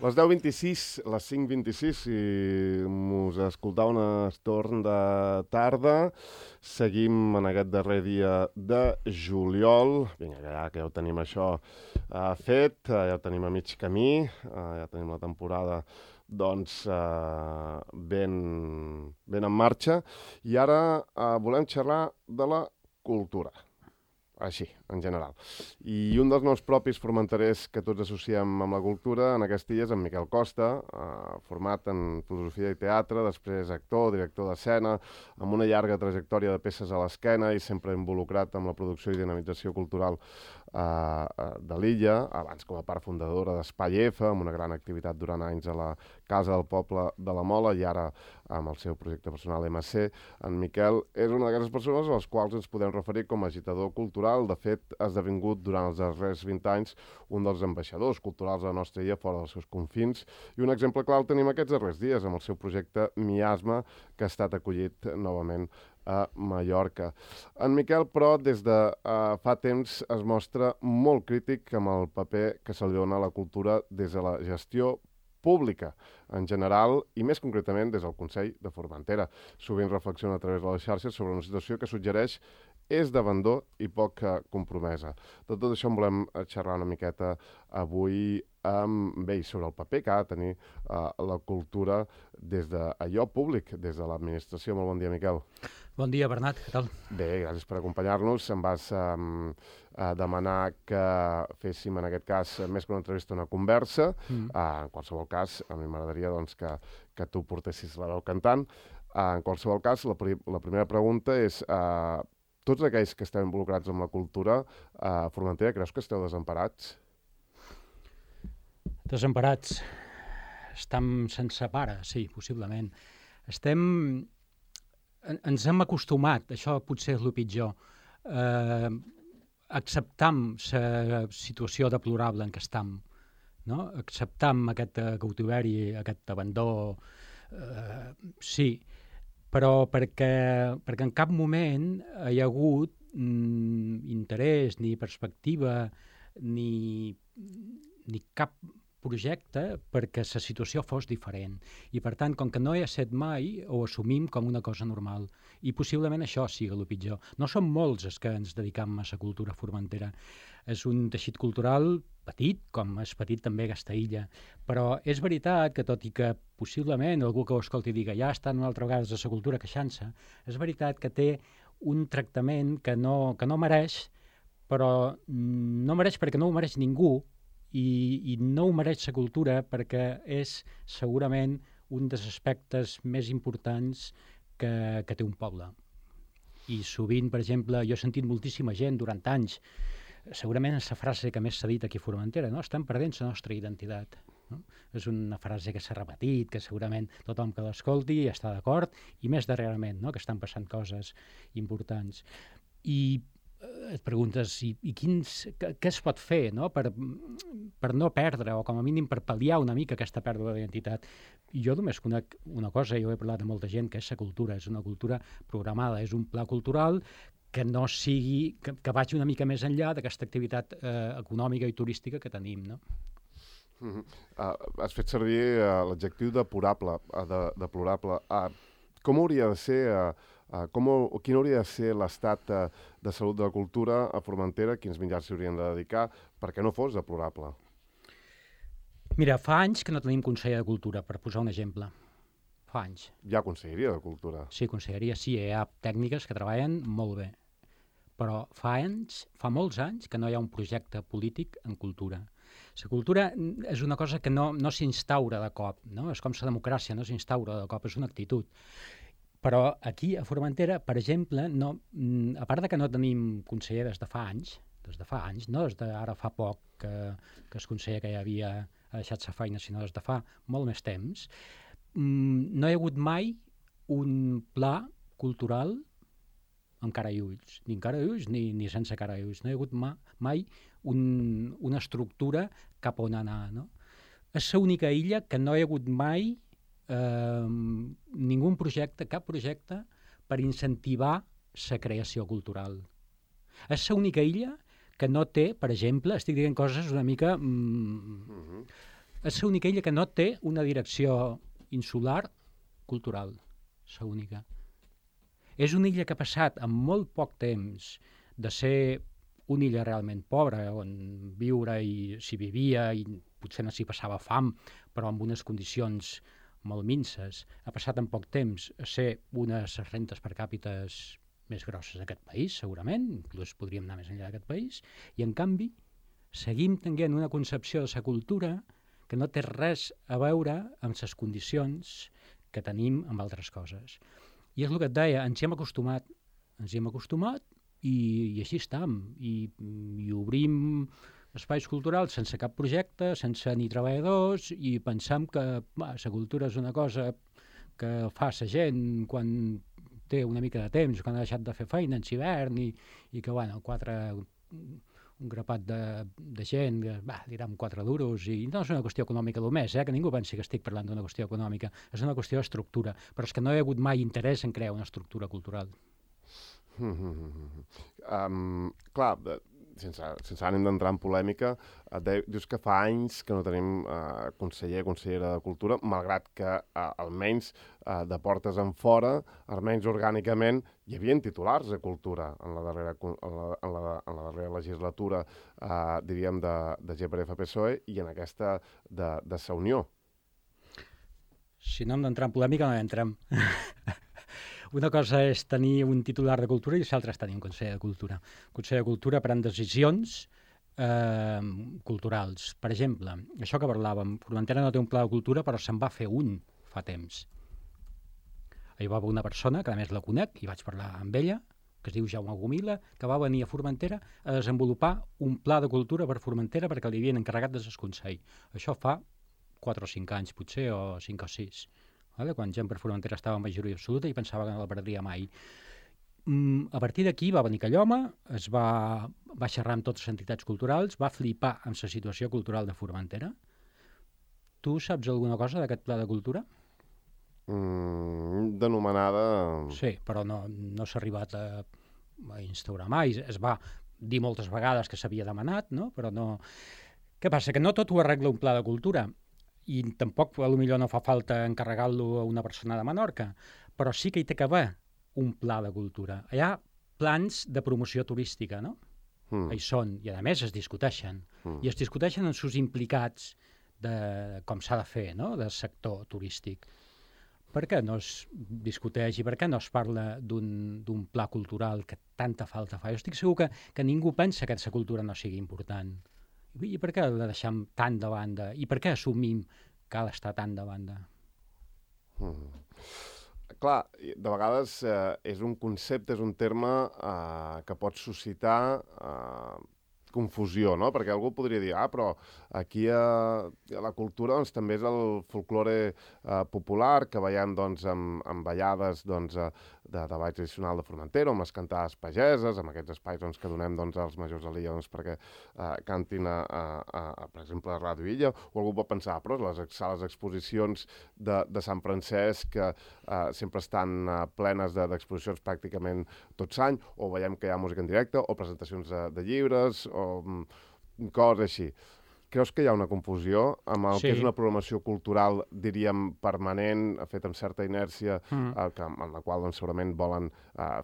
Les 10:26, les 5:26, si mos escoltau un estorn de tarda, seguim en aquest darrer dia de juliol. Vinga, que ja ho tenim això fet, ja ho tenim a mig camí, ja tenim la temporada doncs ben en marxa. I ara volem xerrar de la cultura. Així, en general. I un dels noms propis formenterers que tots associem amb la cultura en aquest dia és en Miquel Costa, format en filosofia i teatre, després actor, director d'escena, amb una llarga trajectòria de peces a l'esquena i sempre involucrat amb la producció i dinamització cultural de l'illa, abans com a part fundadora d'Espai F, amb una gran activitat durant anys a la Casa del Poble de la Mola i ara amb el seu projecte personal MC. En Miquel és una d'aquestes persones a les quals ens podem referir com a agitador cultural. De fet, ha esdevingut durant els darrers 20 anys un dels ambaixadors culturals de la nostra illa fora dels seus confins. I un exemple clar el tenim aquests darrers dies amb el seu projecte Miasma, que ha estat acollit novament a Mallorca. En Miquel, però, des de fa temps es mostra molt crític amb el paper que se li dona a la cultura des de la gestió pública, en general, i més concretament des del Consell de Formentera. Sovint reflexiona a través de les xarxes sobre una situació que suggereix és d'abandó i poca compromesa. De tot això en volem xerrar una miqueta avui amb ell sobre el paper que ha de tenir la cultura des d'allò públic, des de l'administració. Molt bon dia, Miquel. Bon dia, Bernat, què tal? Bé, gràcies per acompanyar-nos. Em vas demanar que féssim, en aquest cas, més que una entrevista, una conversa. En qualsevol cas, a mi m'agradaria doncs, que tu portessis la veu cantant. En qualsevol cas, la primera pregunta és tots aquells que estem involucrats amb la cultura a Formentera, creus que esteu desemparats? Desemparats. Estem sense pare, sí, possiblement. Ens hem acostumat, això potser és el pitjor, acceptam la situació deplorable en què estem, no? Acceptam aquest cautiveri, aquest abandó, sí, però perquè en cap moment hi ha hagut interès, ni perspectiva, ni cap projecte perquè la situació fos diferent. I per tant, com que no hi ha set mai, ho assumim com una cosa normal. I possiblement això sigui el pitjor. No som molts els que ens dedicam a la cultura formentera. És un teixit cultural petit, com és petit també aquesta illa. Però és veritat que, tot i que possiblement algú que ho escolti digui ja estan una altra vegada de la cultura queixant-se, és veritat que té un tractament que no mereix, però no mereix perquè no ho mereix ningú, i no ho mereix la cultura perquè és segurament un dels aspectes més importants que té un poble. I sovint, per exemple, jo he sentit moltíssima gent durant anys, segurament és la frase que més s'ha dit aquí a Formentera, no? Estem perdent la nostra identitat. No? És una frase que s'ha repetit, que segurament tothom que l'escolti està d'acord, i més darrerament, no? Que estan passant coses importants. I et preguntes què es pot fer, no? per no perdre, o com a mínim per pal·liar una mica aquesta pèrdua d'identitat. I jo només conec una cosa, jo he parlat amb molta gent, que és la cultura, és una cultura programada, és un pla cultural que no sigui, que vagi una mica més enllà d'aquesta activitat econòmica i turística que tenim, no? Has fet servir l'adjectiu deplorable. Com hauria de ser... quin hauria de ser l'estat de salut de la cultura a Formentera, quins mitjans s'hi haurien de dedicar perquè no fos deplorable? Mira, fa anys que no tenim conseller de cultura, per posar un exemple. Fa anys. Hi ha conselleria de cultura? Sí, conselleria, sí, hi ha tècniques que treballen molt bé. Però fa molts anys que no hi ha un projecte polític en cultura. La cultura és una cosa que no s'instaura de cop, no? És com la democràcia, no s'instaura de cop, és una actitud. Però aquí, a Formentera, per exemple, a part de que no tenim conseller des de fa anys, no des d'ara fa poc que el conseller que hi havia ha deixat la feina, sinó des de fa molt més temps, no hi ha hagut mai un pla cultural amb cara i ulls, ni amb cara i ulls ni sense cara i ulls. No hi ha hagut mai una estructura cap on anar, no? És l'única illa que no hi ha hagut mai cap projecte per incentivar la creació cultural. És l'única illa que no té, per exemple, estic dient coses una mica És l'única illa que no té una direcció insular cultural. És l'única. És una illa que ha passat en molt poc temps de ser una illa realment pobra, on viure i s'hi vivia i potser no s'hi passava fam, però amb unes condicions molt minces. Ha passat en poc temps a ser unes rentes per càpites més grosses d'aquest país, segurament, inclús podríem anar més enllà d'aquest país, i en canvi seguim tenint una concepció de la cultura que no té res a veure amb les condicions que tenim amb altres coses. I és el que et deia, ens hi hem acostumat i així estem. I obrim espais culturals sense cap projecte, sense ni treballadors, i pensam que la cultura és una cosa que fa la gent quan té una mica de temps, quan ha deixat de fer feina en hivern, i que, bueno, un grapat de gent, li dam 4 duros, i no és una qüestió econòmica només, que ningú pensi que estic parlant d'una qüestió econòmica, és una qüestió d'estructura, però és que no hi ha hagut mai interès en crear una estructura cultural. Clar, sense ànim d'entrar en polèmica, dius que fa anys que no tenim consellera de Cultura, malgrat que almenys de portes en fora, almenys orgànicament, hi havia titulars de Cultura en la darrera legislatura, diríem, de GPF-PSOE i en aquesta de Sa Unió. Si no hem d'entrar en polèmica, no hi entrem. Una cosa és tenir un titular de Cultura i l'altra és tenir un Consell de Cultura. El Consell de Cultura pren decisions culturals. Per exemple, això que parlàvem, Formentera no té un pla de cultura, però se'n va fer un fa temps. Hi va haver una persona, que a més la conec, i vaig parlar amb ella, que es diu Jaume Gomila, que va venir a Formentera a desenvolupar un pla de cultura per Formentera perquè li havien encarregat des del Consell. Això fa 4 o 5 anys, potser, o 5 o 6. Quan gent per Formentera estava en majoria absoluta i pensava que no la perdria mai. A partir d'aquí va venir Callhoma, va xerrar amb totes les entitats culturals, va flipar amb la situació cultural de Formentera. Tu saps alguna cosa d'aquest pla de cultura? Denomenada... Sí, però no s'ha arribat a instaurar mai. Es va dir moltes vegades que s'havia demanat, no? Però no... Què passa? Que no tot ho arregla un pla de cultura. I tampoc potser no fa falta encarregar-lo a una persona de Menorca, però sí que hi té que haver un pla de cultura. Hi ha plans de promoció turística, no? Hi són, i a més es discuteixen. I es discuteixen amb els implicats de com s'ha de fer, no?, del sector turístic. Per què no es discuteix i per què no es parla d'un pla cultural que tanta falta fa? Jo estic segur que ningú pensa que la cultura no sigui important. I per què la deixem tan de banda? I per què assumim que ha d'estar tan de banda? Clar, de vegades és un concepte, és un terme que pot suscitar confusió, no? Perquè algú podria dir, però aquí la cultura doncs, també és el folklore popular que veiem doncs, amb ballades doncs, de ball tradicional de Formentera, amb les cantades pageses, amb aquests espais doncs, que donem doncs, als majors de l'illa doncs, perquè cantin, per exemple, a Ràdio Illa, o algú pot pensar, però les sales d'exposicions de Sant Francesc que sempre estan plenes d'exposicions pràcticament tot l'any, o veiem que hi ha música en directe, o presentacions de llibres, o coses així. Creus que hi ha una confusió amb el que és una programació cultural, diríem, permanent, feta amb certa inèrcia, en la qual doncs, segurament volen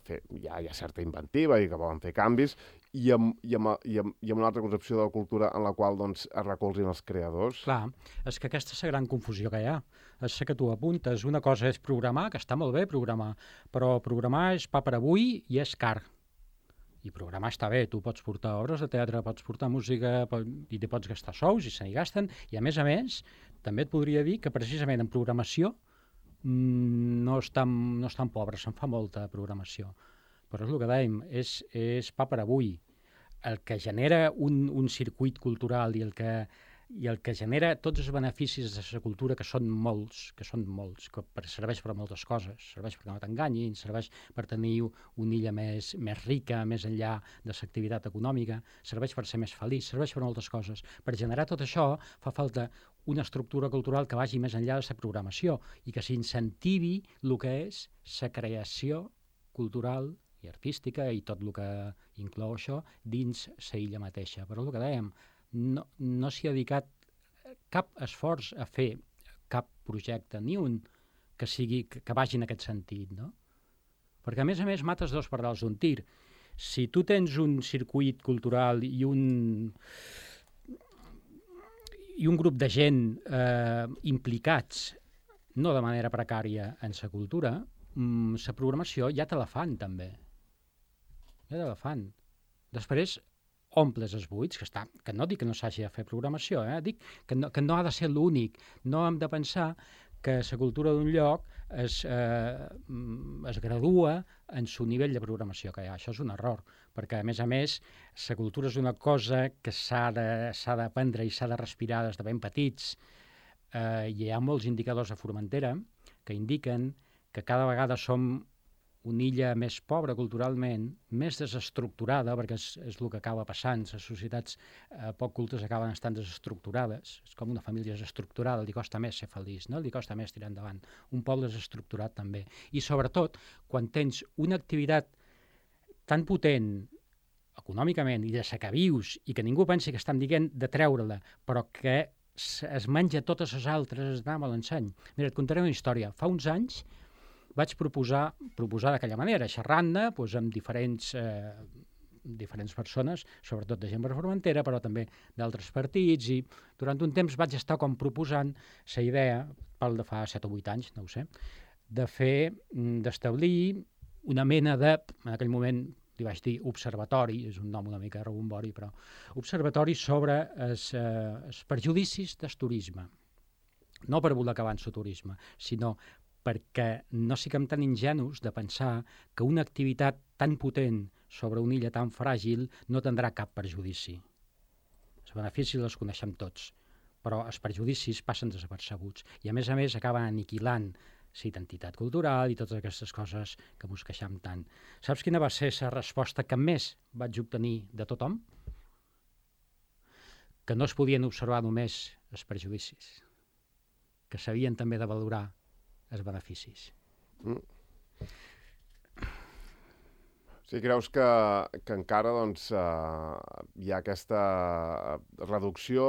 fer, hi ha certa inventiva i que volen fer canvis, i amb una altra concepció de la cultura en la qual doncs, es recolzin els creadors? Clar, és que aquesta és la gran confusió que hi ha. És que tu apuntes. Una cosa és programar, que està molt bé programar, però programar és pa per avui i és car. I programar està bé, tu pots portar obres de teatre, pots portar música i te pots gastar sous i se n'hi gasten, i a més, també et podria dir que precisament en programació no estan pobres, se'n fa molta programació. Però és el que dèiem, és pa per avui. El que genera un circuit cultural i el que genera tots els beneficis de la cultura, que són molts, que serveix per a moltes coses, serveix perquè no t'enganyin, serveix per tenir una illa més rica, més enllà de l'activitat econòmica, serveix per ser més feliç, serveix per moltes coses. Per generar tot això fa falta una estructura cultural que vagi més enllà de la programació i que s'incentivi el que és la creació cultural i artística i tot el que inclou això dins la illa mateixa. Però el que dèiem, no s'hi ha dedicat cap esforç a fer cap projecte, ni un que vagi en aquest sentit, no? Perquè, a més, mates dos pardals d'un tir. Si tu tens un circuit cultural i un grup de gent implicats, no de manera precària en la cultura, la programació ja te la fan, també. Ja te la fan. Després, omples els buits, que no dic que no s'hagi de fer programació, dic que no ha de ser l'únic. No hem de pensar que la cultura d'un lloc es gradua en el nivell de programació que hi ha. Això és un error, perquè, a més, la cultura és una cosa que s'ha d'aprendre i s'ha de respirar des de ben petits. Hi ha molts indicadors a Formentera que indiquen que cada vegada som una illa més pobra culturalment, més desestructurada, perquè és el que acaba passant. Les societats poc cultes acaben estant desestructurades. És com una família desestructurada, li costa més ser feliç, no? Li costa més tirar endavant. Un poble desestructurat també. I sobretot, quan tens una activitat tan potent econòmicament i de la que vius i que ningú pensi que estan dient de treure-la, però que es menja totes les altres, es dama l'enseny. Mira, et contaré una història. Fa uns anys vaig proposar d'aquella manera, xerrant-ne amb diferents persones, sobretot de gent de Formentera, però també d'altres partits, i durant un temps vaig estar com proposant la idea, pel de fa 7 o 8 anys, no ho sé, d'establir una mena de, en aquell moment li vaig dir observatori, és un nom una mica rebombori, però observatori sobre els perjudicis del turisme. No per voler acabar amb el turisme, sinó perquè no siguem tan ingenus de pensar que una activitat tan potent sobre una illa tan fràgil no tindrà cap perjudici. Els beneficis els coneixem tots, però els perjudicis passen desapercebuts i, a més, acaben aniquilant la identitat cultural i totes aquestes coses que ens queixem tant. Saps quina va ser la resposta que més vaig obtenir de tothom? Que no es podien observar només els perjudicis, que s'havien també de valorar els beneficis. Sí, creus que encara hi ha aquesta reducció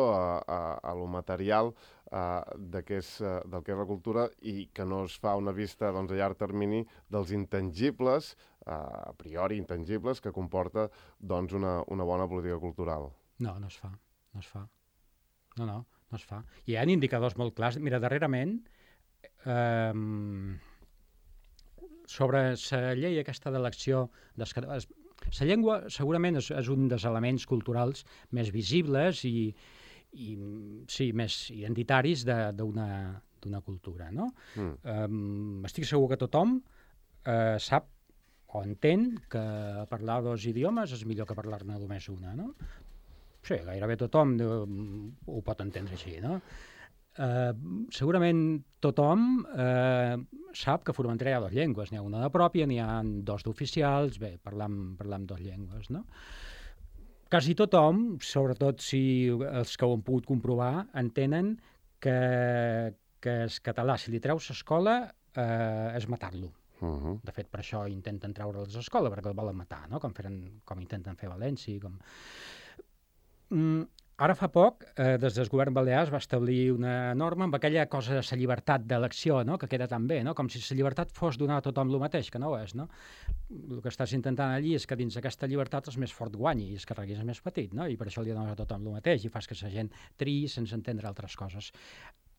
a lo material del que és la cultura i que no es fa una vista a llarg termini dels intangibles, a priori intangibles, que comporta una bona política cultural? No es fa. No es fa. Hi ha indicadors molt clars. Mira, darrerament, sobre la llei aquesta d'elecció dels catalans, la llengua segurament és un dels elements culturals més visibles i sí, més identitaris d'una cultura, no? Estic segur que tothom sap o entén que parlar 2 idiomes és millor que parlar-ne només una, no? Sí, gairebé tothom ho pot entendre així, no? Segurament tothom sap que a Formentera hi ha 2 llengües, n'hi ha una de pròpia, n'hi ha 2 d'oficials, bé, parlam 2 llengües, no? Quasi tothom, sobretot si els que ho han pogut comprovar, entenen que el català, si li treus l'escola, és matar-lo. De fet, per això intenten treure'l de l'escola, perquè el volen matar, no? Com intenten fer a València. Ara fa poc, des del govern balear es va establir una norma amb aquella cosa de la llibertat d'elecció, no? Que queda tan bé, no? Com si la llibertat fos donar a tothom el mateix, que no ho és, no? El que estàs intentant allí és que dins d'aquesta llibertat el més fort guanyi i es carregui el més petit, no? I per això li dones a tothom el mateix i fas que la gent triï sense entendre altres coses.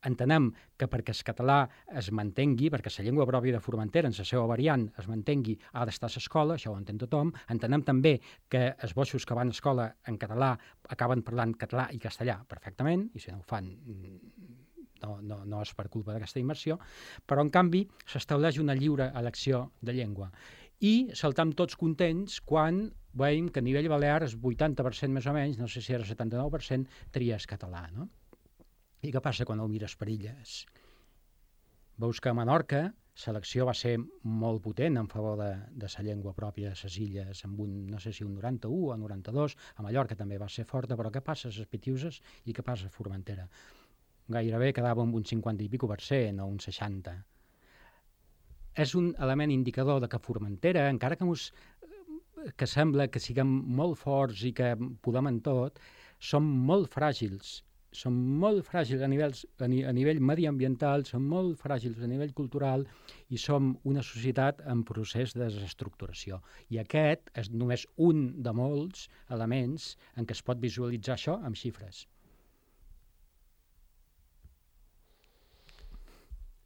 Entenem que perquè el català es mantengui, perquè la llengua pròpia de Formentera, en la seva variant, es mantengui, ha d'estar a l'escola, això ho entén tothom. Entenem també que els boixos que van a escola en català acaben parlant català i castellà perfectament, i si no ho fan no és per culpa d'aquesta immersió, però en canvi s'estableix una lliure elecció de llengua. I saltam tots contents quan veiem que a nivell balear el 80% més o menys, no sé si era el 79%, tria el català, no? I què passa quan el mires per illes? Veus que a Menorca l'elecció va ser molt potent en favor de la llengua pròpia de les illes, amb no sé si un 91 o 92, a Mallorca també va ser forta, però què passa a les Pitiuses i què passa a Formentera? Gairebé quedava amb un 50 i escaig o un 60. És un element indicador de que Formentera, encara que sembla que siguem molt forts i que podem en tot, som molt fràgils són molt fràgils a nivell mediambiental, són molt fràgils a nivell cultural i som una societat en procés de desestructuració. I aquest és només un de molts elements en què es pot visualitzar això amb xifres.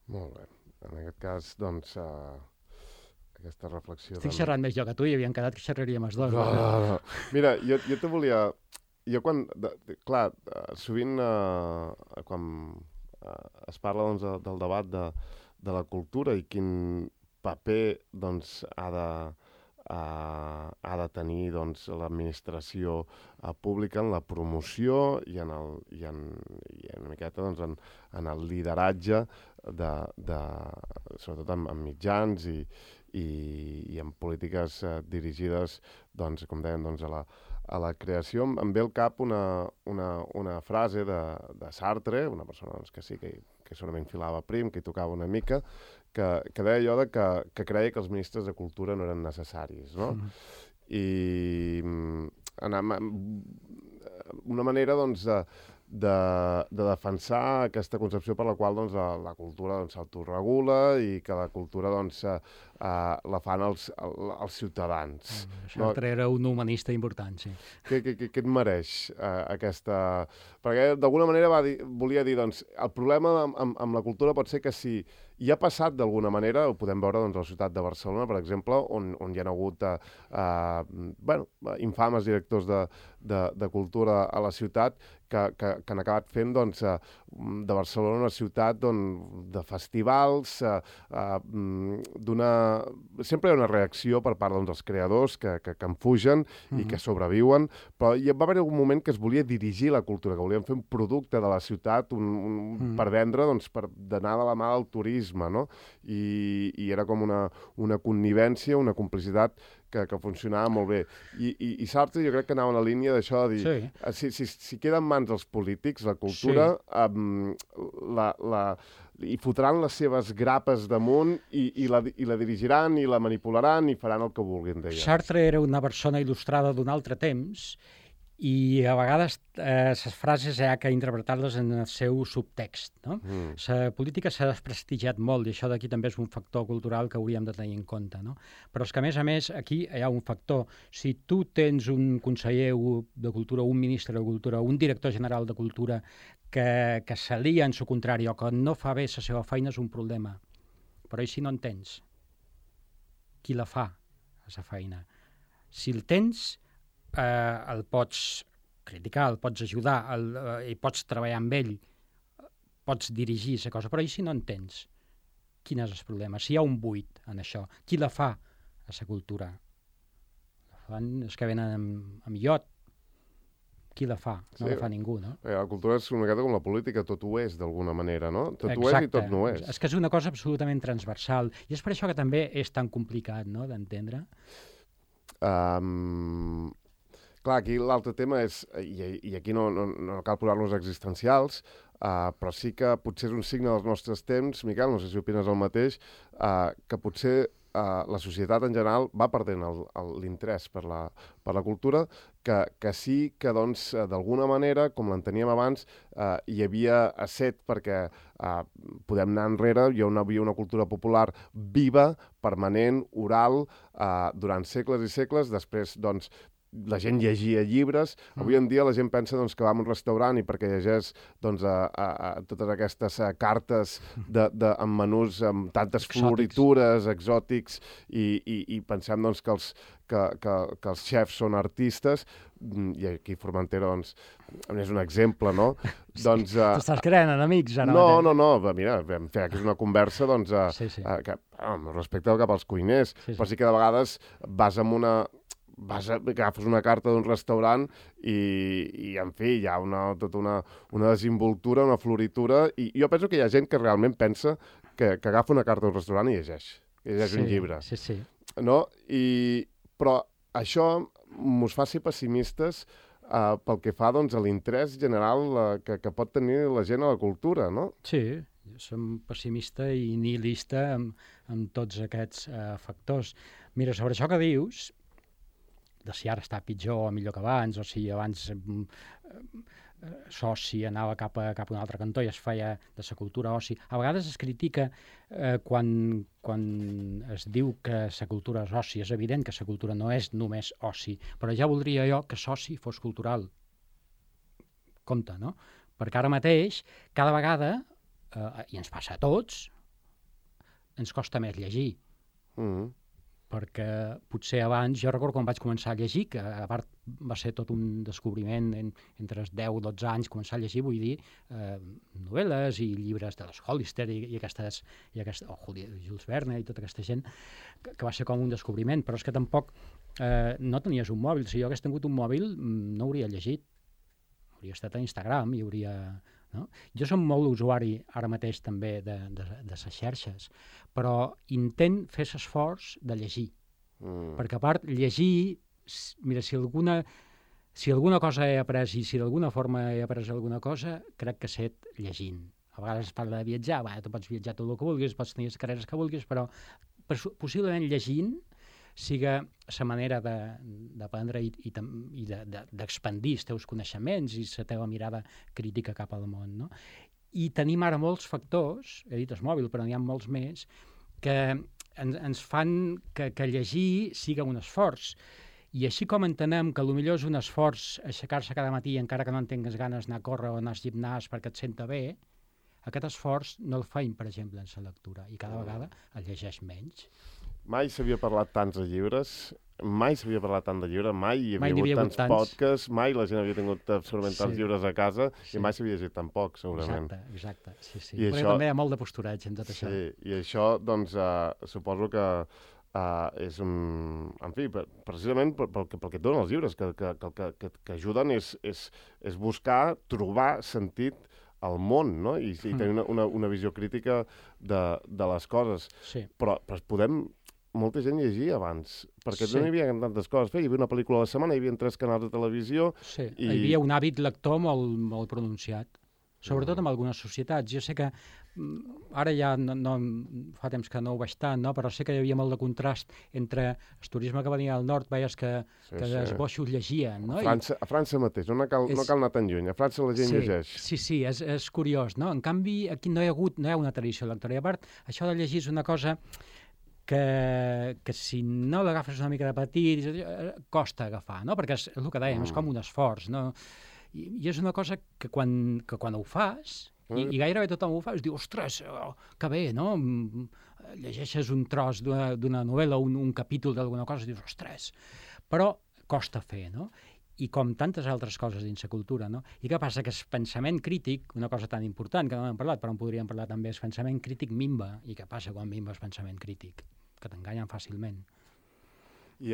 Molt bé. En aquest cas, doncs, aquesta reflexió... Estic xerrant més jo que tu i havíem quedat que xerraríem els dos. No. Mira, jo te volia... Jo quan... Clar, sovint quan es parla doncs, del debat de la cultura i quin paper doncs, ha de tenir doncs, l'administració pública en la promoció i en una miqueta doncs, en el lideratge sobretot en mitjans i en polítiques dirigides, doncs, com dèiem, doncs, a la creació. Em ve al cap una frase de Sartre, una persona doncs, que sí, que segurament filava prim, que hi tocava una mica, que deia allò que creia que els ministres de Cultura no eren necessaris, no? I una manera, doncs, de defensar aquesta concepció per la qual doncs, la cultura s'autoregula i que la cultura doncs, la fan els ciutadans. Sartre era un humanista important, sí. Què et mereix aquesta... Perquè d'alguna manera volia dir, doncs, el problema amb la cultura pot ser que si hi ha passat d'alguna manera, ho podem veure doncs, a la ciutat de Barcelona, per exemple, on hi ha hagut infames directors de cultura a la ciutat que han acabat fent doncs, de Barcelona una ciutat de festivals, sempre hi ha una reacció per part doncs, dels creadors que en fugen i que sobreviuen, però hi va haver un moment que es volia dirigir la cultura, que volien fer un producte de la ciutat per vendre, doncs, per d'anar de la mà del turisme, no? I era com una connivència, una complicitat que funcionava molt bé. I Sartre jo crec que anava en la línia d'això de dir, si queda en mans dels polítics, la cultura, i fotran les seves grapes damunt i la dirigiran i la manipularan i faran el que vulguin d'ella. Sartre era una persona il·lustrada d'un altre temps i a vegades les frases hi ha que interpretar-les en el seu subtext. No? La política s'ha desprestigiat molt i això d'aquí també és un factor cultural que hauríem de tenir en compte. No? Però és que, a més, aquí hi ha un factor. Si tu tens un conseller de Cultura, un ministre de Cultura, un director general de Cultura que s'alia en su contrari o que no fa bé la seva feina és un problema. Però i si no en tens? Qui la fa, la feina? Si el tens, el pots criticar, el pots ajudar, i pots treballar amb ell, pots dirigir la cosa, però i si no en tens? Quin és el problema? Si hi ha un buit en això, qui la fa a la cultura? La fan els que venen amb iot. Qui la fa? No la fa ningú, no? La cultura és una miqueta com la política, tot ho és d'alguna manera, no? Tot ho és i tot no és. És que és una cosa absolutament transversal i és per això que també és tan complicat, no?, d'entendre. Clar, aquí l'altre tema és, i aquí no cal posar-nos existencials, però sí que potser és un signe dels nostres temps, Miquel, no sé si opines el mateix, que potser la societat en general va perdent l'interès per la cultura, que sí que, doncs, d'alguna manera, com l'enteníem abans, hi havia set perquè podem anar enrere, hi havia una cultura popular viva, permanent, oral, durant segles i segles, després, doncs, la gent llegia llibres. Avui en dia la gent pensa doncs, que va a un restaurant i perquè llegeix doncs, totes aquestes cartes amb menús amb tantes floritures, exòtics, i pensem doncs, que els xefs són artistes, i aquí Formentera doncs, és un exemple, no? Doncs, t'estàs creant enemics ara mateix. No, mira, vam fer aquí una conversa doncs, amb respecte cap als cuiners, però sí que de vegades agafes una carta d'un restaurant i en fi, hi ha tota una desimboltura, una floritura, i jo penso que hi ha gent que realment pensa que agafa una carta d'un restaurant i llegeix un llibre. Sí. No? Però això mos fa ser pessimistes pel que fa doncs, a l'interès general que pot tenir la gent a la cultura, no? Sí, som pessimista i nihilista amb tots aquests factors. Mira, sobre això que dius, de si ara està pitjor o millor que abans, o si abans s'oci anava cap a un altre cantó i es feia de la cultura oci. A vegades es critica quan es diu que la cultura és oci. És evident que la cultura no és només oci, però ja voldria jo que l'oci fos cultural. Compte, no? Perquè ara mateix, cada vegada, i ens passa a tots, ens costa més llegir. Perquè potser abans, jo recordo quan vaig començar a llegir, que a part va ser tot un descobriment entre els 10 o 12 anys, començar a llegir, vull dir, novel·les i llibres de les Hollister i aquestes, Jules Verne i tota aquesta gent, que va ser com un descobriment, però és que tampoc no tenies un mòbil. Si jo hagués tingut un mòbil, no hauria llegit. Hauria estat a Instagram i hauria... No? Jo som molt usuari ara mateix també de les xarxes, però intent fer l'esforç de llegir. Perquè a part, llegir, mira, si alguna cosa he après i si d'alguna forma he après alguna cosa, crec que sé llegint. A vegades es parla de viatjar, tu pots viatjar tot el que vulguis, pots tenir les carreres que vulguis, però possiblement llegint siga la manera d'aprendre i d'expandir els teus coneixements i la teva mirada crítica cap al món. No? I tenim ara molts factors, he dit el mòbil, però n'hi ha molts més, que ens fan que llegir siga un esforç. I així com entenem que potser és un esforç aixecar-se cada matí encara que no en tingues ganes d'anar a córrer o anar al gimnàs perquè et senta bé, aquest esforç no el feim, per exemple, en la lectura, i cada vegada el llegeix menys. Mai s'havia parlat tants de llibres, mai s'havia parlat tant de llibres, mai hi havia hagut tants podcasts, mai la gent havia tingut absolutament tants llibres a casa i mai s'havia llegit tan poc, segurament. Exacte, sí. Perquè també hi ha molt de postureig en tot això. Sí, i això, doncs, suposo que és un... En fi, precisament pel que et donen els llibres, que ajuden és buscar, trobar sentit al món, no? I tenir una visió crítica de les coses. Sí. Però podem... Molta gent llegia abans, perquè no hi havia tantes coses. Hi havia una pel·lícula a la setmana, hi havia 3 canals de televisió... Sí, hi havia un hàbit lector molt pronunciat, sobretot en algunes societats. Jo sé que ara ja fa temps que no ho veig tant, no? Però sé que hi havia molt de contrast entre el turisme que venia del nord, veies que els boixos llegien. No? A França mateix, no cal anar tan lluny, a França la gent llegeix. Sí, és curiós, no? En canvi, aquí no hi ha una tradició lectora. I a part, això de llegir és una cosa que si no l'agafes una mica de petit, costa agafar, no? Perquè és el que dèiem, és com un esforç, no? I és una cosa que quan ho fas, i gairebé tothom ho fa, es diu, ostres, que bé, no? Llegeixes un tros d'una novel·la, un capítol d'alguna cosa, i dius, ostres, però costa fer, no? I com tantes altres coses dins la cultura, no? I què passa? Que el pensament crític, una cosa tan important que no hem parlat, però en podríem parlar també, el pensament crític minva. I què passa quan minva el pensament crític? Que t'enganyen fàcilment. I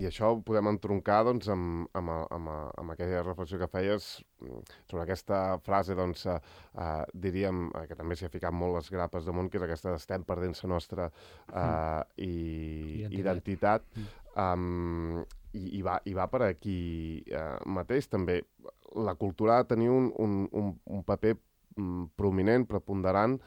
això ho podem entroncar doncs, amb aquella reflexió que feies sobre aquesta frase, doncs, diríem, que també s'hi ha ficat molt les grapes damunt, que és aquesta estem perdent la nostra identitat. I va per aquí mateix, també. La cultura ha de tenir un paper prominent, preponderant,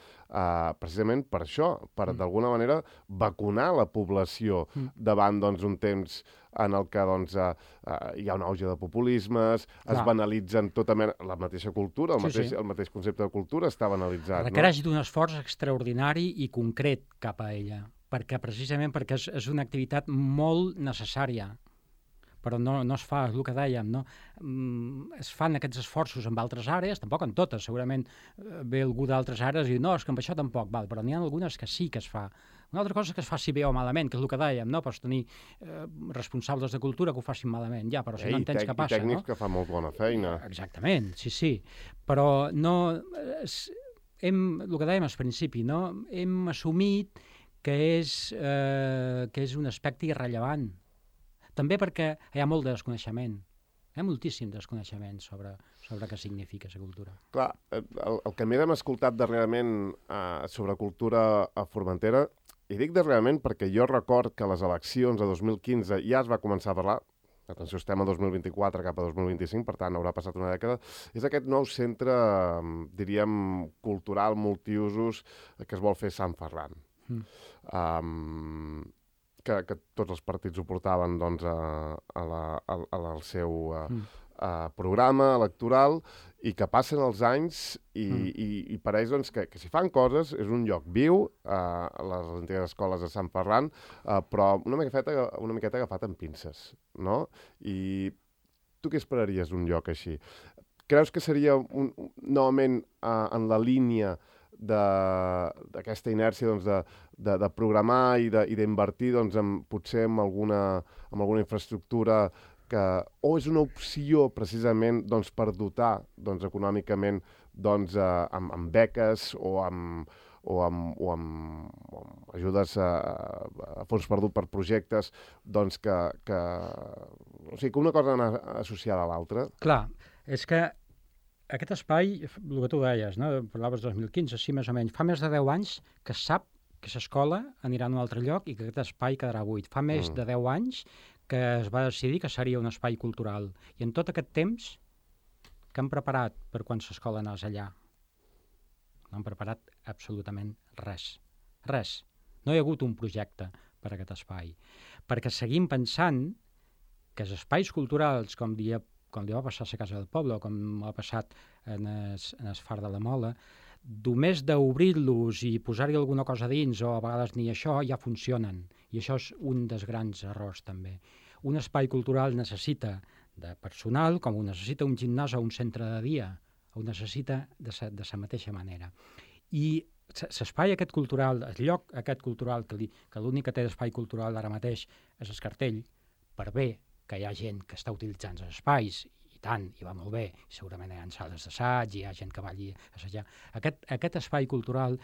precisament per això, per d'alguna manera vacunar la població davant un temps en el que hi ha un auge de populismes, es banalitzen la mateixa cultura, el mateix concepte de cultura està banalitzat. Requereix d'un esforç extraordinari i concret cap a ella, precisament perquè és una activitat molt necessària, però no es fa, és el que dèiem, no? Es fan aquests esforços en altres àrees, tampoc en totes, segurament ve algú d'altres àrees i diu, no, és que amb això tampoc, però n'hi ha algunes que sí que es fa. Una altra cosa és que es faci bé o malament, que és el que dèiem, no? Pots tenir responsables de cultura que ho facin malament, però si no entens què passa, no? I tècnics que fan molt bona feina. Exactament, sí. Però no... el que dèiem al principi, no? Hem assumit que és un aspecte irrellevant. També perquè hi ha molt de desconeixement. Hi ha moltíssim desconeixement sobre què significa la cultura. Clar, el que m'hem escoltat darrerament sobre cultura a Formentera, i dic darrerament perquè jo record que a les eleccions de 2015 ja es va començar a parlar, atenció, estem a 2024 cap a 2025, per tant haurà passat una dècada, és aquest nou centre, diríem, cultural, multiusos, que es vol fer Sant Ferran. Que tots els partits ho portaven al seu programa electoral i que passen els anys i pareix doncs, que si fan coses és un lloc viu, a les antigues escoles de Sant Ferran, però una miqueta agafat amb pinces, no? I tu què esperaries d'un lloc així? Creus que seria novament en la línia d'aquesta inèrcia doncs, de programar i d'invertir doncs, potser en alguna infraestructura o és una opció precisament doncs, per dotar doncs, econòmicament doncs, amb beques o amb ajudes a fons perdut per projectes doncs, o sigui, que una cosa anar associada a l'altra? Clar, és que aquest espai, el que tu deies, no? Parlaves del 2015, sí, més o menys, fa més de 10 anys que es sap que l'escola anirà a un altre lloc i que aquest espai quedarà buit. Fa més de 10 anys que es va decidir que seria un espai cultural. I en tot aquest temps que han preparat per quan l'escola anés allà? No han preparat absolutament res. Res. No hi ha hagut un projecte per a aquest espai. Perquè seguim pensant que els espais culturals, com li va passar a la Casa del Poble, com ha passat en el Far de la Mola, només d'obrir-los i posar-hi alguna cosa dins, o a vegades ni això, ja funcionen. I això és un dels grans errors, també. Un espai cultural necessita de personal, com ho necessita un gimnàs o un centre de dia, ho necessita de la mateixa manera. I l'espai aquest cultural, el lloc aquest cultural, que l'únic que té d'espai cultural ara mateix és el cartell, per bé que hi ha gent que està utilitzant els espais, i tant, i va molt bé, segurament hi ha sales d'assaig, hi ha gent que va allí a assajar. Aquest espai cultural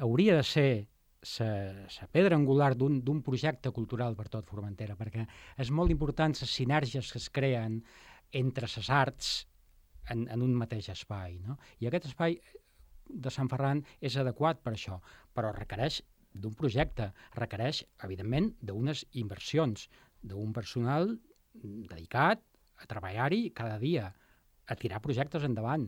hauria de ser la pedra angular d'un projecte cultural per tot Formentera, perquè és molt important les sinergies que es creen entre les arts en un mateix espai, no? I aquest espai de Sant Ferran és adequat per això, però requereix d'un projecte, requereix, evidentment, d'unes inversions, d'un personal dedicat a treballar-hi cada dia, a tirar projectes endavant,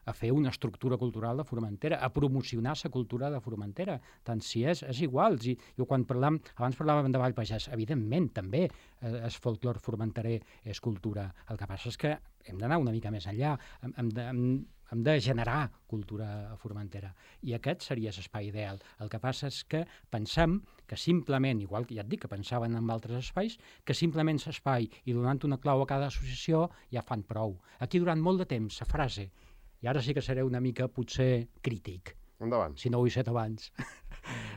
a fer una estructura cultural de Formentera, a promocionar la cultura de Formentera, tant si és igual. Abans parlàvem de Vall Pagès, evidentment, també el folclor formenterer és cultura. El que passa és que hem d'anar una mica més enllà, hem de generar cultura a Formentera. I aquest seria l'espai ideal. El que passa és que pensem que simplement, igual que ja et dic que pensaven en altres espais, que simplement l'espai i donant una clau a cada associació ja fan prou. Aquí durant molt de temps la frase, i ara sí que seré una mica potser crític, endavant, si no ho he set abans,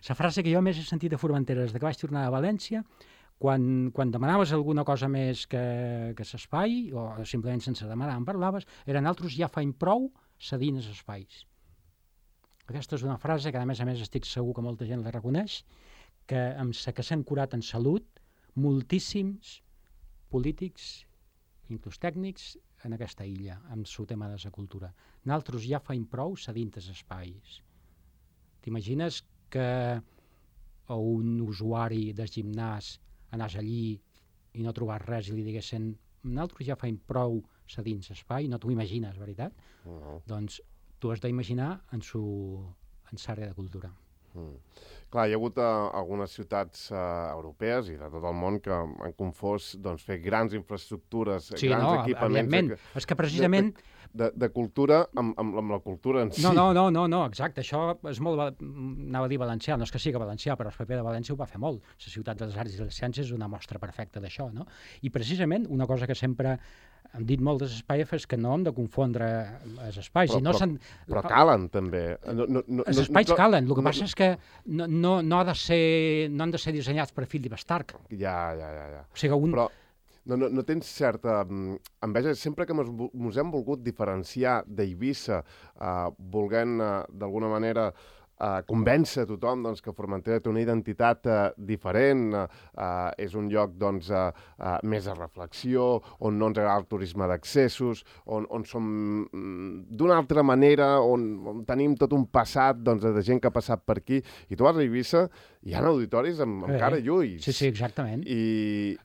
la frase que jo més he sentit a Formentera des que vaig tornar a València, quan demanaves alguna cosa més que l'espai, o simplement sense demanar en parlaves, era nosaltres ja faim prou cedint els espais. Aquesta és una frase que, a més estic segur que molta gent la reconeix, que amb la que s'han curat en salut moltíssims polítics, inclús tècnics, en aquesta illa, amb el tema de la cultura. Nosaltres ja faim prou cedint els espais. T'imagines que un usuari del gimnàs anàs allí i no trobàs res i li diguessin nosaltres ja faim prou cedint l'espai, no t'ho imagines, veritat? Doncs tu has d'imaginar en l'àrea de cultura. Clar, hi ha hagut algunes ciutats europees i de tot el món que han confós doncs, fer grans infraestructures, grans equipaments... És que precisament... De cultura amb la cultura en si. No, exacte. Això és molt... Anava a dir valencià, no és que sigui valencià, però el PP de València ho va fer molt. La ciutat de les arts i les ciències és una mostra perfecta d'això, no? I precisament una cosa que sempre hem dit molt dels espais és que no hem de confondre els espais. Però calen, també. Els espais calen. El que passa és que no han de ser dissenyats per Philip Stark. Ja. O sigui, Però no tens certa enveja. Sempre que ens hem volgut diferenciar d'Eivissa, volent d'alguna manera convèncer tothom doncs, que Formentera té una identitat diferent, és un lloc doncs, més de reflexió, on no ens agrada el turisme d'accessos, on som d'una altra manera, on tenim tot un passat doncs, de gent que ha passat per aquí. I tu vas a Eivissa, hi ha auditoris amb cara i ulls. Sí, exactament. I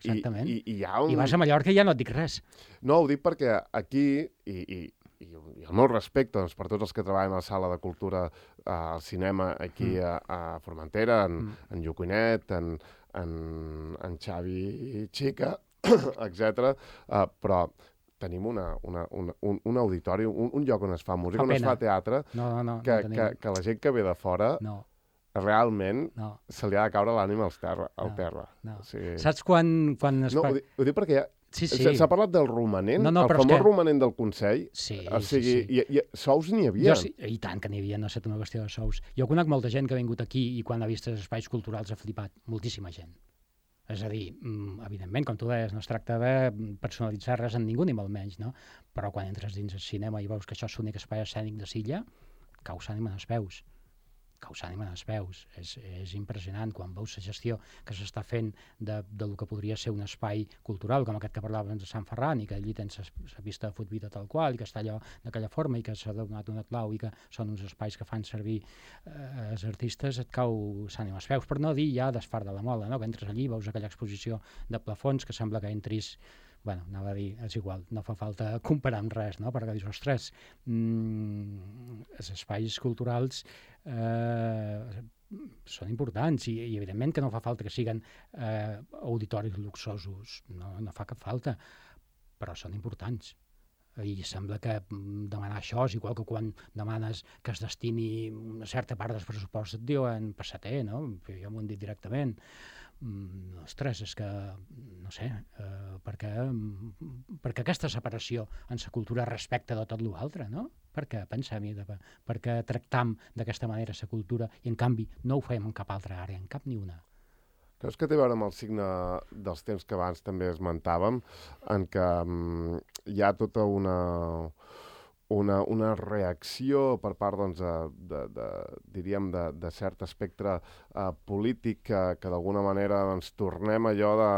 vas a Mallorca i ja no et dic res. No, ho dic perquè aquí, i el meu respecte doncs, per tots els que treballen a la sala de cultura, al cinema aquí a Formentera, en Llucuinet, en Xavi Xica, etc. Però tenim un auditori, un lloc on es fa música, on es fa teatre, que la gent que ve de fora realment se li ha de caure l'ànima al terra. No. Sí. Saps quan es... No, ho dic perquè s'ha parlat del romanent, el famós romanent del Consell. Sí. I sous n'hi havia. I tant que n'hi havia, no ha estat una qüestió de sous. Jo conec molta gent que ha vingut aquí i quan ha vist els espais culturals ha flipat. Moltíssima gent. És a dir, evidentment, com tu deies, no es tracta de personalitzar res en ningú, ni molt menys, no? Però quan entres dins el cinema i veus que això és l'únic espai escènic de Silla, cau s'ànima en els peus. És impressionant quan veus la gestió que s'està fent del que podria ser un espai cultural, com aquest que parlàvem de Sant Ferran, i que allí tens la pista de futbol tal qual, i que està allò d'aquella forma, i que s'ha donat una clau, i que són uns espais que fan servir els artistes, et cau s'ànima als peus. Per no dir ja d'Esfar de la Mola, no? Que entres allí, veus aquella exposició de plafons que sembla que entris... Bueno, anava a dir, és igual, no fa falta comparar amb res, no? Perquè dius, ostres, els espais culturals són importants i evidentment que no fa falta que siguin auditoris luxosos, no fa cap falta, però són importants. I sembla que demanar això és igual que quan demanes que es destini una certa part del pressupost et diuen passater, no? Jo m'ho han dit directament. Ostres, és que, no sé, perquè aquesta separació en la cultura respecte de tot l'altre, no? Perquè pensem-hi, perquè tractam d'aquesta manera la cultura i en canvi no ho fem en cap altra àrea, en cap ni una. Creus que té a veure amb el signe dels temps que abans també esmentàvem, en què hi ha tota una reacció per part, doncs, diríem, de cert espectre polític que d'alguna manera ens tornem allò de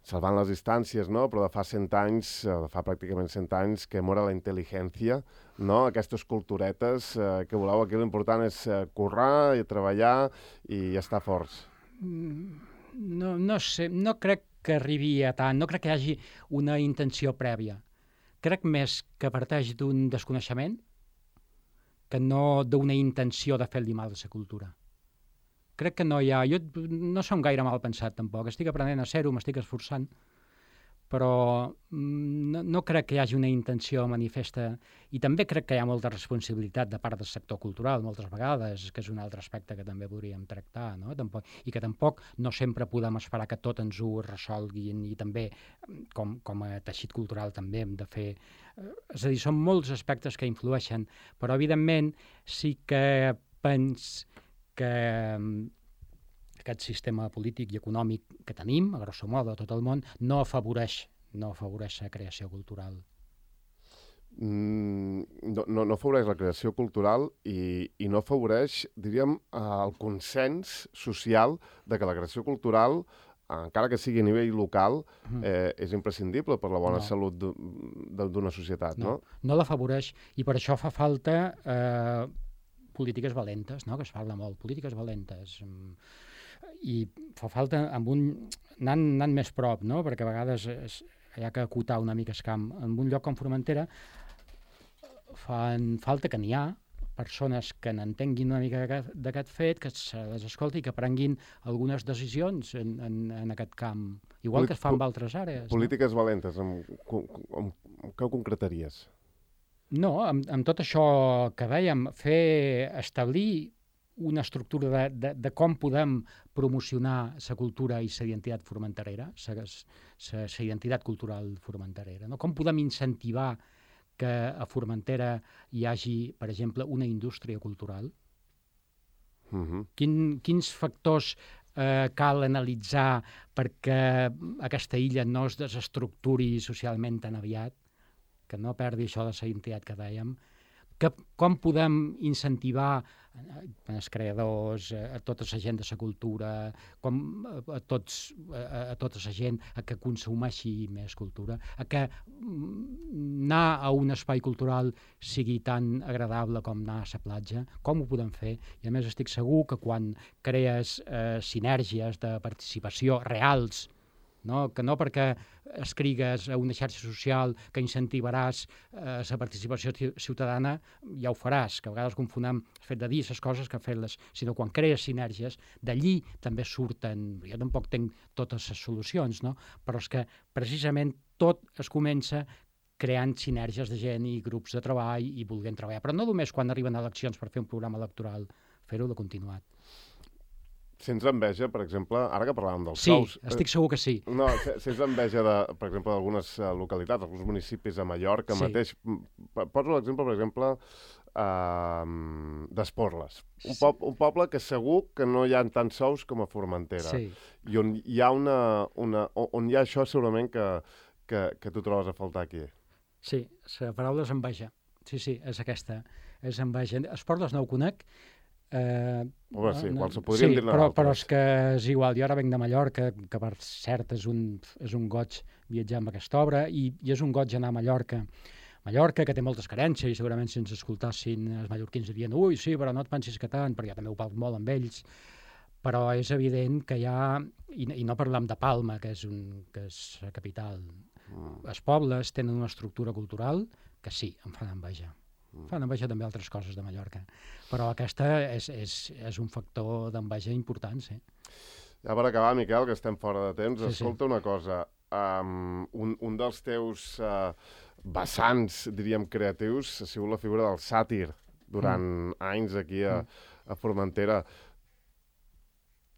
salvant les distàncies, no? Però de fa 100 anys, de fa pràcticament 100 anys, que mora la intel·ligència, no? Aquestes culturetes que voleu aquí, l'important és currar i treballar i estar forts. No sé, no crec que arribi a tant, no crec que hi hagi una intenció prèvia. Crec més que parteix d'un desconeixement que no d'una intenció de fer-li mal a la cultura. Crec que no hi ha... Jo no som gaire mal pensat, tampoc. Estic aprenent a ser-ho, m'estic esforçant, però no crec que hi hagi una intenció manifesta. I també crec que hi ha molta responsabilitat de part del sector cultural, moltes vegades, que és un altre aspecte que també podríem tractar, no? I que tampoc no sempre podem esperar que tot ens ho resolguin, i també, com a teixit cultural, també hem de fer... És a dir, són molts aspectes que influeixen, però, evidentment, sí que pens que aquest sistema polític i econòmic que tenim, a grosso modo, a tot el món, no afavoreix la creació cultural. No afavoreix la creació cultural i no afavoreix, diríem, el consens social de que la creació cultural, encara que sigui a nivell local, és imprescindible per la bona salut d'una societat, no? No l'afavoreix, i per això fa falta polítiques valentes, no? Que es parla molt, polítiques valentes. I fa falta anant més prop, no? Perquè a vegades hi ha que acotar una mica el camp. En un lloc com Formentera fan falta que n'hi ha persones que n'entenguin una mica d'aquest fet, que se les escolti i que prenguin algunes decisions en aquest camp, igual que es fa en altres àrees. Polítiques valentes, què ho concretaries? No, amb tot això que dèiem, establir una estructura de com podem promocionar la cultura i la identitat formenterera, la identitat cultural formenterera, no? Com podem incentivar que a Formentera hi hagi, per exemple, una indústria cultural? Quins factors cal analitzar perquè aquesta illa no es desestructuri socialment tan aviat, que no perdi això de la identitat que dèiem? Com podem incentivar els creadors, a tota la gent de la cultura, a tota la gent a que consumeixi més cultura, a que anar a un espai cultural sigui tan agradable com anar a la platja? Com ho podem fer? I a més estic segur que quan crees sinergies de participació reals no? Que no perquè escrigues a una xarxa social que incentivaràs la participació ciutadana, ja ho faràs, que a vegades confonem el fet de dir les coses que fer-les, sinó quan crees sinergies, d'allí també surten, jo tampoc tenc totes les solucions, no? Però és que precisament tot es comença creant sinergies de gent i grups de treball i volguent treballar. Però no només quan arriben eleccions per fer un programa electoral, fer-ho de continuat. Sents enveja, per exemple, ara que parlàvem dels Sí, sous... estic segur que sí. No, sents enveja, per exemple, d'algunes localitats, alguns municipis a Mallorca mateix. Poso l'exemple, per exemple, d'Esporles. Un poble que segur que no hi ha tants sous com a Formentera. Sí. I on hi ha on hi ha això segurament que tu trobes a faltar aquí. Sí, la paraula és enveja. Sí, és aquesta. És enveja. Esporles no ho conec. Home, sí, igual se podrien dir-ne però d'altres. és que és igual. Jo ara venc de Mallorca, que per cert és un goig viatjar amb aquesta obra, i és un goig anar a Mallorca. Mallorca, que té moltes carències, i segurament si ens escoltassin els mallorquins dirien ui, sí, però no et pensis que tant, perquè jo també ho parlo molt amb ells, però és evident que hi ha, i no parlem de Palma, que és la capital, els pobles tenen una estructura cultural que sí, em fan enveja. Fan enveja també altres coses de Mallorca, però aquesta és un factor d'enveja important, sí. Ja per acabar, Miquel, que estem fora de temps, Sí, escolta una cosa. Un dels teus vessants, diríem, creatius ha sigut la figura del sàtir durant anys aquí a Formentera.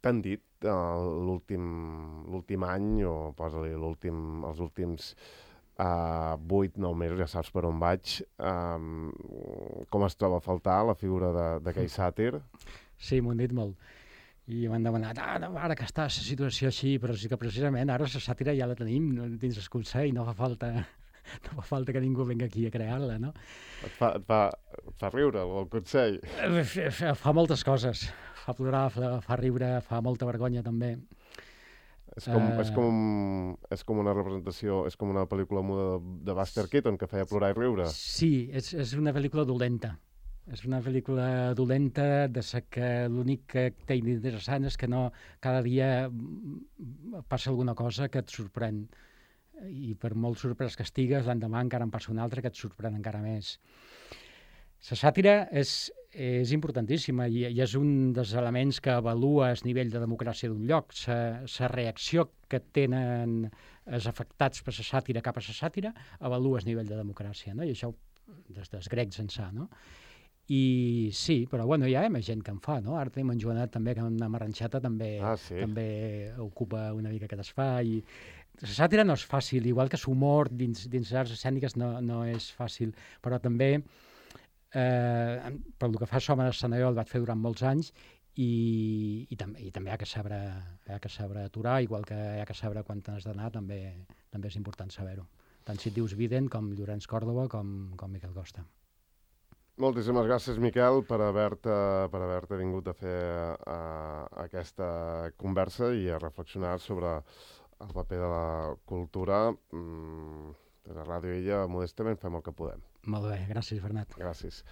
T'han dit l'últim any, o posa-li els últims 8-9 mesos, ja saps per on vaig, com es troba a faltar la figura d'aquell sàtir? Sí, m'ho han dit molt. I m'han demanat, ara que està la situació així, però sí que precisament ara la sàtira ja la tenim dins el Consell, no fa falta que ningú vingui aquí a crear-la, no? Et fa riure, el Consell? Fa moltes coses. Fa plorar, fa riure, fa molta vergonya també. És com una representació, és com una pel·lícula muda de Buster Keaton que feia plorar i riure. Sí, és una pel·lícula dolenta. És una pel·lícula dolenta de que l'únic que té interessant és que no cada dia passa alguna cosa que et sorprèn. I per molt sorprès que estigues, l'endemà encara en passa una altra que et sorprèn encara més. La sàtira és importantíssima i és un dels elements que avalua el nivell de democràcia d'un lloc. La reacció que tenen els afectats per la sàtira cap a la sàtira avalua el nivell de democràcia, no? I això des dels grecs ençà, no? I sí, però bueno, hi ha més gent que en fa, no? Ara tenim en Joanet també, que amb Arranxata també ocupa una mica aquest espai. La sàtira no és fàcil, igual que l'humor dins les arts escèniques no és fàcil, però també per el que fa Som en Escenarió el vaig fer durant molts anys i també hi ha que saber aturar, igual que hi ha que saber quan t'has d'anar, també és important saber-ho. Tant si et dius Viden com Llorenç Còrdova com Miquel Costa. Moltíssimes gràcies, Miquel, per haver-te vingut a fer aquesta conversa i a reflexionar sobre el paper de la cultura. Des de Ràdio Illa, modestament, fem el que podem. Molt bé, gràcies, Bernat. Gràcies.